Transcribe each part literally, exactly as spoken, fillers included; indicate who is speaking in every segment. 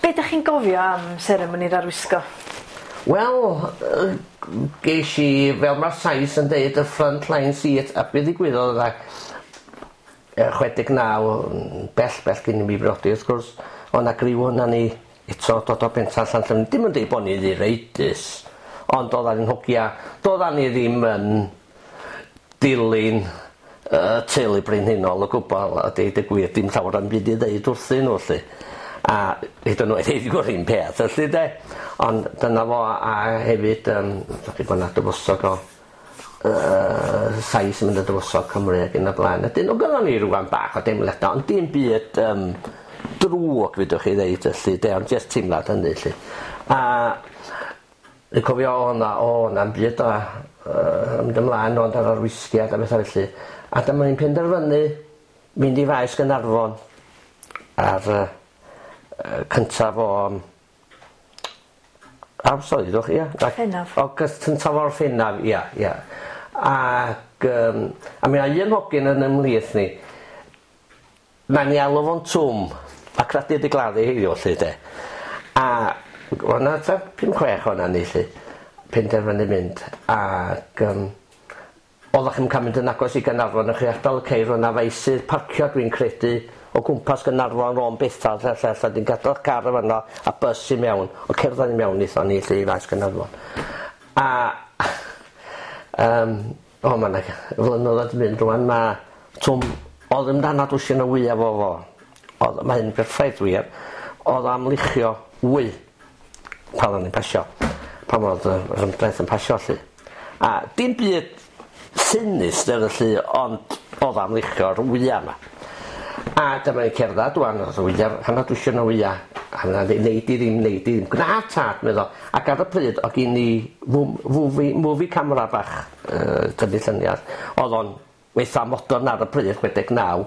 Speaker 1: Be 'dach chi'n gofio am seremoni'r arwisgo?
Speaker 2: Wel yy gesh i fel ma'r Sais yn deud y front line seat a be' ddigwyddodd oedd yy chwe deg naw yn bell bell cyn i mi briodi wrth gwrs o' 'na griw ona ni eto dod o pentra Llanllyfni dim yn deud bo' ni ddireidus ond oddan ni'n hogia doddan ni ddim yn dilyn y teulu brenhinol o gwbwl a deud y gwir dim llawer o'm byd i ddeud wrthyn n'w 'lly. A hyd yn oed heddiw yr un peth felly 'de? Ond dyna fo a hefyd yym dach chi bo' 'na dywysog o yy Sais yn mynd yn dywysog Cymru ag yn y blaen. Ydyn o' gynnon ni rŵan bach o deimlada ond dim byd yym drwg fedrwch chi ddeud felly 'de ond jyst teimlad hynny 'lly. A Dwi'n cofio o' 'na o' na'm byd o yy mynd ymlaen ond ar arwisgiad a betha felly a dyma ni'n penderfynu mynd i faes Gaernarfon ar y yy cyntaf o yym Aw sori ddwch ia?
Speaker 1: Gorffennaf.
Speaker 2: August cyntaf o Orffennaf ia ia. Ag yym a mi o' un hogyn yn ymhlith ni Nawn ni alw fo'n Twm a credu 'di gladdu heddiw 'lly 'de. A o' 'na tua pum chwech o'na ni 'lly penderfynu mynd ag yym oddach chi'm yn ca'l mynd yn agos i Gaernarfon o'ch chi ardal y ceir o' 'na faesydd parcio dwi'n credu o gwmpas Gaernarfon Lôn Bethel lle lle lle 'dyn gadal car yn fan 'no a bys i mewn o cerdded i mewn nethon ni 'lly i faes Gaernarfon. A yym o ma' 'na flynyddoedd 'di mynd rŵan ma' Twm o'dd yn dannod wsin o wya fo fo. O'dd ma' hyn berffaith wir. O'dd am luchio wy pan o'n i'n pasio pan o'dd yr yr ymdraeth yn pasio 'lly. A dim byd sinister felly ond o'dd am luchio'r wya 'ma. A dyma ni'n cerddad ŵan o'dd y wya hannar dwsin o wya a ma' ddeud nei di ddim nei di ddim. Gwna tad meddo ac ar y pryd o' gin i fw- fwfi movie camera bach yy tynnu llynia o'dd o'n weitha modern ar y pryd chwe deg naw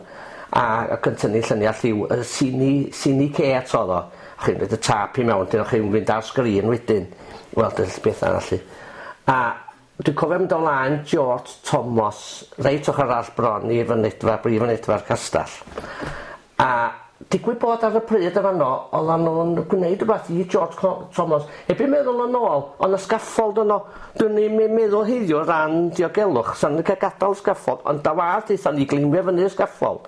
Speaker 2: a ac yn tynnu llynia lliw yy cine cine Kate o'dd o. Chi'n roid y tâp i mewn 'dyn o'ch chi'n fynd ar sgrin wedyn weld y betha felly. A dwi'n cofio mynd o flaen George Thomas reit ochor arall bron i fynedfa brif fynedfa'r castell. A digwydd bod ar y pryd yn fanno oddan nw'n gwneud rwbath i George Co- Thomas Erbyn meddwl yn ôl o' 'na scaffold yno. Dwn i'm yn meddwl heddiw o ran diogelwch sa'n n'w ca'l gadal scaffold ond da wath aethon ni gleimio fyny'r scaffold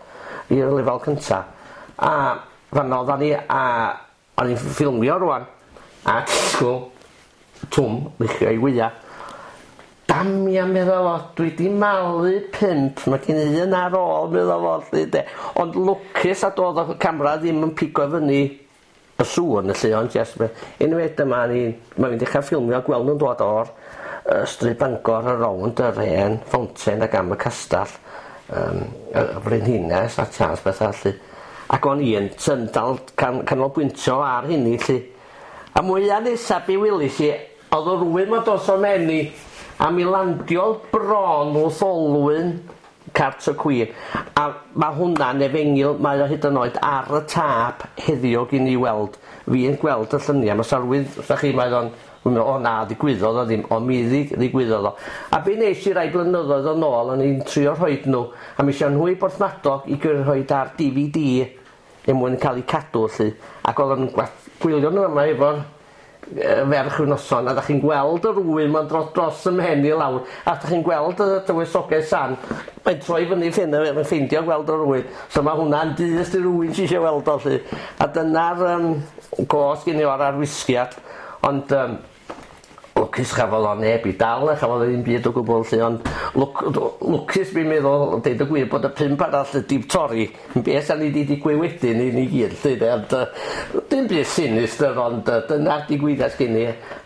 Speaker 2: i'r lefal cynta a fanno oddan ni a o'n i'n ffilmio rŵan a disgwl Twm luchio i wya. Damia medda fo dwi 'di malu pump ma' gin i un ar ôl medda fo 'lly 'de ond lwcus nad o'dd y camera ddim yn pigo fyny y sŵn felly ond jyst be- unwaith dyma ni ma' fi'n dechra ffilmio gweld nw'n dod o'r yy Stryd Bangor ar rownd yr hen fountain ag am y castell yym y y frenhines a Charles betha felly ac o'n i yn tyn dal can- canolbwyntio ar hynny 'lly. A mwya nesa be welis i o'dd o rywun 'ma dos o mhen i a mi landiodd bron wrth olwyn cart y cwin a ma' hwnna'n efengyl mae o hyd yn oed ar y tâp heddiw gin i weld fi'n gweld y llynia ma' sa rywun wrthach chi mae o'n wi'n me'wl o na ddigwyddodd o ddim on' mi ddig- ddigwyddodd o. A be nesh i rai blynyddoedd yn ôl o'n i'n trio rhoid n'w a mi es nhw i Borthmadog i gyrru rhoid ar Dee Vee Dee er mwyn ca'l 'u cadw 'lly ac oddan nw'n gwa- gwylio n'w yma efo'r yy ferch ryw noson a 'dach chi'n gweld yr wy 'ma'n dro dros 'ym mhen i lawr a 'dach chi'n gweld y dywysoges Ann mae'n troi fyny ffin- yn ffeindio gweld yr wy so ma' hwnna'n dyst i rywun sy isio weld o 'lly a dyna'r yym gos gin i o'r arwisgiad ond yym lwcus chafodd o neb i dal a chafodd o ddim byd o gwbwl 'lly ond lwc- lwcus dwi'n meddwl deud y gwir bod y pump arall 'di torri be' sa'n i 'di digwydd wedyn i ni gyd 'lly de ond yy dim byd sinistyr ond yy dyna'r digwyddiad gin i